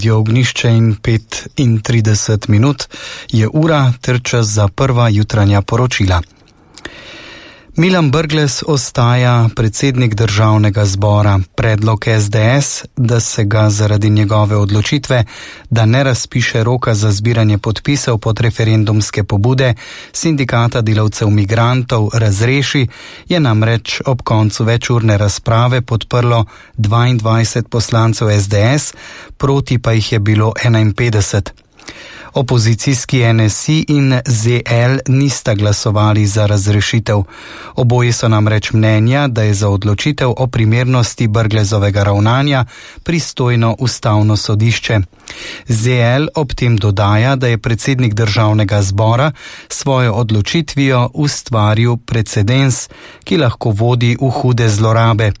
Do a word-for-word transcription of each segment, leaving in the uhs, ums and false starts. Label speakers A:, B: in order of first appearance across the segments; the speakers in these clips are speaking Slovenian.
A: Je ognišče in petintrideset minut je ura ter čas za prva jutranja poročila. Milan Brglez ostaja predsednik državnega zbora. Predlog es de es, da se ga zaradi njegove odločitve, da ne razpiše roka za zbiranje podpisov pod referendumske pobude sindikata delavcev migrantov, razreši, je namreč ob koncu večurne razprave podprlo dvaindvajset poslancev es de es, proti pa jih je bilo enainpetdeset. Opozicijski en es i in ze el nista glasovali za razrešitev. Oboji so namreč mnenja, da je za odločitev o primernosti Brglezovega ravnanja pristojno ustavno sodišče. ze el ob tem dodaja, da je predsednik državnega zbora svojo odločitvijo ustvaril precedens, ki lahko vodi v hude zlorabe.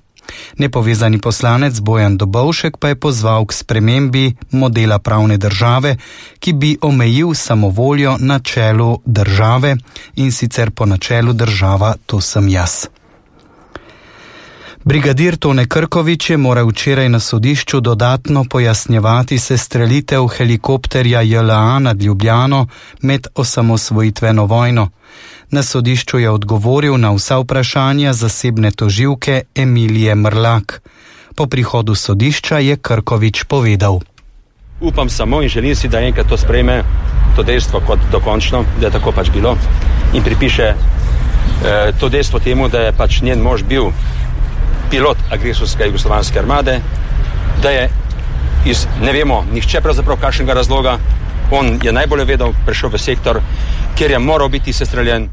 A: Nepovezani poslanec Bojan Dobovšek pa je pozval k spremembi modela pravne države, ki bi omejil samovoljo na čelu države, in sicer po načelu država, to sem jaz. Brigadir Tone Krkovič je moral včeraj na sodišču dodatno pojasnjevati sestrelitev helikopterja je el a nad Ljubljano med osamosvojitveno vojno. Na sodišču je odgovoril na vsa vprašanja zasebne tožilke Emilije Mrlak. Po prihodu sodišča je Krkovič povedal:
B: Upam samo in želim si, da enkrat to sprejme, to dejstvo kot dokončno, da je tako pač bilo, in pripiše eh, to dejstvo temu, da je pač njen mož bil pilot agresorske jugoslovanske armade, da je iz, ne vemo, nihče pravzaprav kakšnega razloga, on je najbolje vedel, prišel v sektor, kjer je moral biti sestreljen.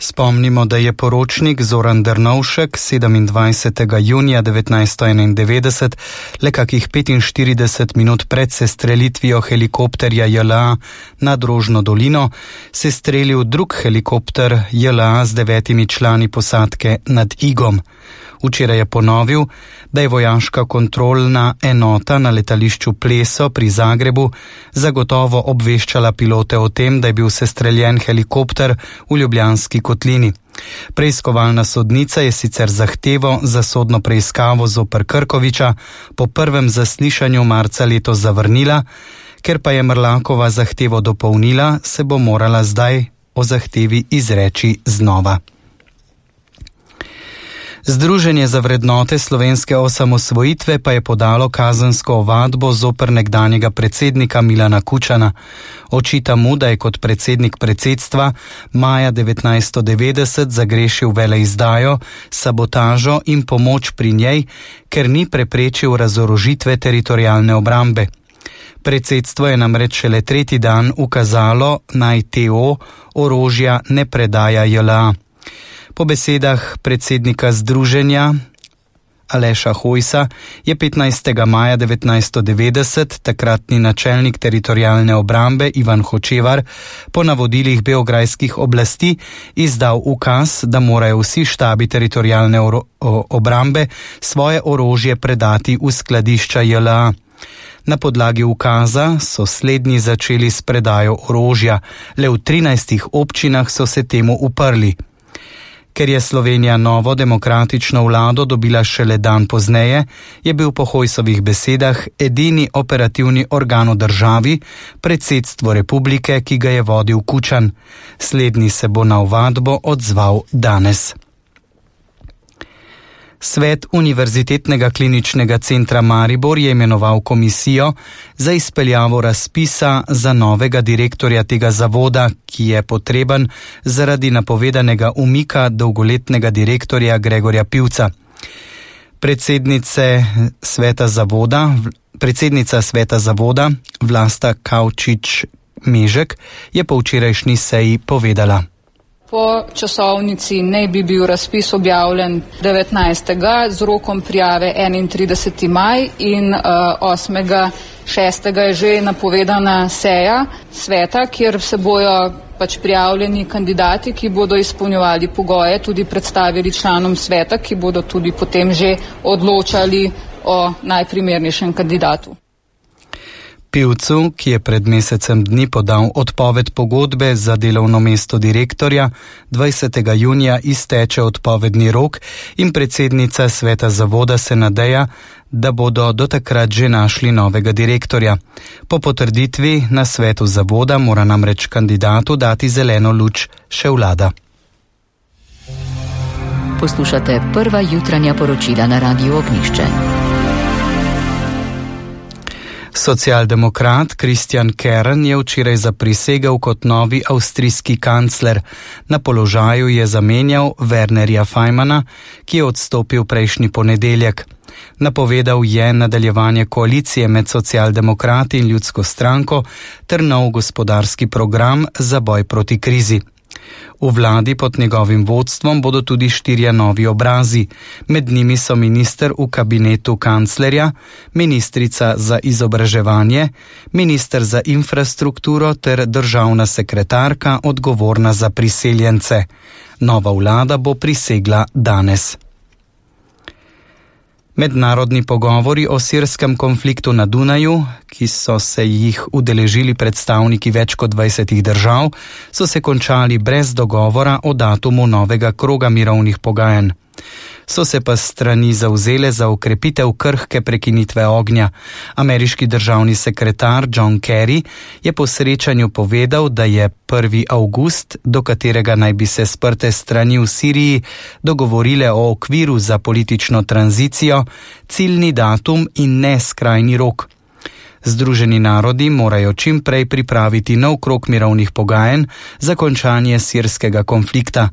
A: Spomnimo, da je poročnik Zoran Drnovšek sedemindvajsetega junija devetnajststo enaindevetdeset, le kakih petinštirideset minut pred sestrelitvijo helikopterja je el a nad Rožno dolino, sestrelil drug helikopter je el a z devetimi člani posadke nad Igom. Včeraj je ponovil, da je vojaška kontrolna enota na letališču Pleso pri Zagrebu zagotovo obveščala pilote o tem, da je bil sestreljen helikopter v Ljubljanski kotlini. Preiskovalna sodnica je sicer zahtevo za sodno preiskavo zoper Krkoviča po prvem zaslišanju marca letos zavrnila, ker pa je Mrlakova zahtevo dopolnila, se bo morala zdaj o zahtevi izreči znova. Združenje za vrednote slovenske osamosvojitve pa je podalo kazensko ovadbo zoper nekdanjega predsednika Milana Kučana. Očita mu, da je kot predsednik predsedstva maja devetnajststo devetdeset zagrešil veleizdajo, sabotažo in pomoč pri njej, ker ni preprečil razorožitve teritorialne obrambe. Predsedstvo je namreč šele tretji dan ukazalo, naj te o orožja ne predaja je el a. Po besedah predsednika združenja Aleša Hojsa je petnajstega maja devetnajststo devetdeset takratni načelnik teritorialne obrambe Ivan Hočevar po navodilih beograjskih oblasti izdal ukaz, da morajo vsi štabi teritorialne obrambe svoje orožje predati v skladišča je el a. Na podlagi ukaza so slednji začeli s predajo orožja, le v trinajstih občinah so se temu uprli. Ker je Slovenija novo demokratično vlado dobila šele dan pozneje, je bil po Hojsovih besedah edini operativni organ v državi predsedstvo republike, ki ga je vodil Kučan. Slednji se bo na ovadbo odzval danes. Svet Univerzitetnega kliničnega centra Maribor je imenoval komisijo za izpeljavo razpisa za novega direktorja tega zavoda, ki je potreben zaradi napovedanega umika dolgoletnega direktorja Gregorja Pivca. Predsednice sveta zavoda, predsednica sveta zavoda Vlasta Kavčič-Mežek je po včerajšnji seji povedala:
C: Po časovnici naj bi bil razpis objavljen devetnajstega z rokom prijave enaintrideseti maj in uh, osmega šestega je že napovedana seja sveta, kjer se bojo pač prijavljeni kandidati, ki bodo izpolnjevali pogoje, tudi predstavili članom sveta, ki bodo tudi potem že odločali o najprimernejšem kandidatu.
A: Pivcu, ki je pred mesecem dni podal odpoved pogodbe za delovno mesto direktorja, dvajsetega junija izteče odpovedni rok in predsednica sveta zavoda se nadeja, da bodo do takrat že našli novega direktorja. Po potrditvi na svetu zavoda mora namreč kandidatu dati zeleno luč še vlada.
D: Poslušate prva jutranja poročila na Radiu Ognjišče.
A: Socialdemokrat Christian Kern je včeraj zaprisegel kot novi avstrijski kancler. Na položaju je zamenjal Wernerja Fajmana, ki je odstopil prejšnji ponedeljek. Napovedal je nadaljevanje koalicije med socialdemokrati in ljudsko stranko ter nov gospodarski program za boj proti krizi. V vladi pod njegovim vodstvom bodo tudi štirje novi obrazi. Med njimi so minister v kabinetu kanclerja, ministrica za izobraževanje, minister za infrastrukturo ter državna sekretarka odgovorna za priseljence. Nova vlada bo prisegla danes. Mednarodni pogovori o sirskem konfliktu na Dunaju, ki so se jih udeležili predstavniki več kot dvajsetih držav, so se končali brez dogovora o datumu novega kroga mirovnih pogajanj. So se pa strani zavzele za ukrepitev krhke prekinitve ognja. Ameriški državni sekretar John Kerry je po srečanju povedal, da je prvi avgust, do katerega naj bi se sprte strani v Siriji dogovorile o okviru za politično tranzicijo, ciljni datum in ne skrajni rok. Združeni narodi morajo čim prej pripraviti nov krog mirovnih pogajanj za končanje sirskega konflikta.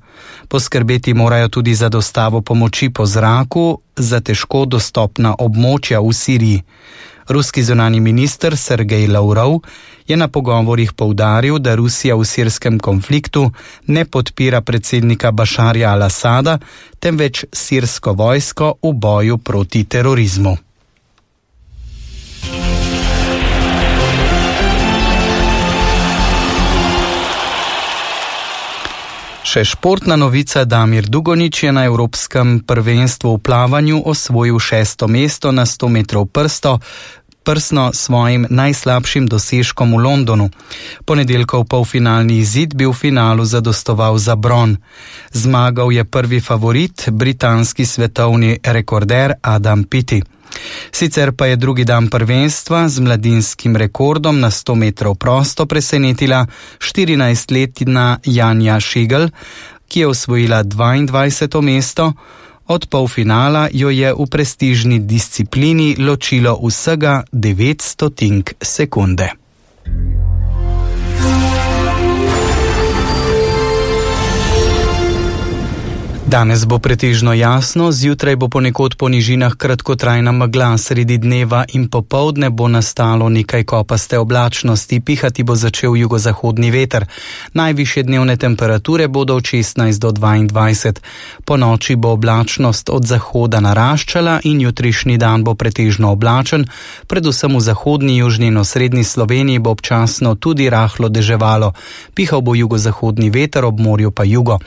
A: Poskrbeti morajo tudi za dostavo pomoči po zraku za težko dostopna območja v Siriji. Ruski zunanji minister Sergej Lavrov je na pogovorih poudaril, da Rusija v sirskem konfliktu ne podpira predsednika Bašarja al-Asada, temveč sirsko vojsko v boju proti terorizmu. Še športna novica. Damir Dugonjić je na Evropskem prvenstvu v plavanju osvojil šesto mesto na sto metrov prsto, prsno svojim najslabšim dosežkom v Londonu. Ponedeljkov polfinalni izid bi v finalu zadostoval za bron. Zmagal je prvi favorit, britanski svetovni rekorder Adam Peaty. Sicer pa je drugi dan prvenstva z mladinskim rekordom na sto metrov prosto presenetila štirinajstletna Janja Šigl, ki je osvojila dvaindvajseto mesto. Od polfinala jo je v prestižni disciplini ločilo vsega devet stotink sekunde. Danes bo pretežno jasno, zjutraj bo ponekod po nižinah kratkotrajna megla, sredi dneva in popoldne bo nastalo nekaj kopaste oblačnosti, pihati bo začel jugozahodni veter. Najvišje dnevne temperature bodo od šestnajst do dvaindvajset. Po noči bo oblačnost od zahoda naraščala in jutrišnji dan bo pretežno oblačen, predvsem v zahodni, južni in osrednji Sloveniji bo občasno tudi rahlo deževalo. Pihal bo jugozahodni veter, ob morju pa jugo.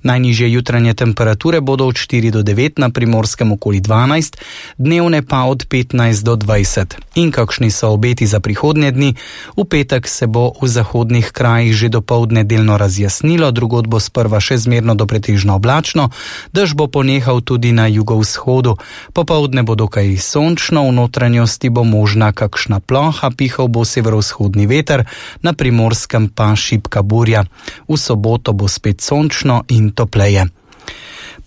A: Najnižje jutranje temperature Temperature bodo od štiri do devet, na Primorskem okoli dvanajst, dnevne pa od petnajst do dvajset. In kakšni so obeti za prihodnje dni? V petek se bo v zahodnih krajih že dopoldne delno razjasnilo, drugod bo sprva še zmerno do pretežno oblačno, dež bo ponehal tudi na jugovzhodu. Popoldne bo dokaj sončno, v notranjosti bo možna kakšna ploha, pihal bo severovzhodni veter, na Primorskem pa šibka burja. V soboto bo spet sončno in topleje.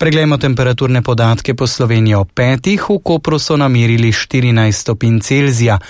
A: Preglejmo temperaturne podatke po Sloveniji ob petih. V Kopru so namerili štirinajst stopinj Celzija,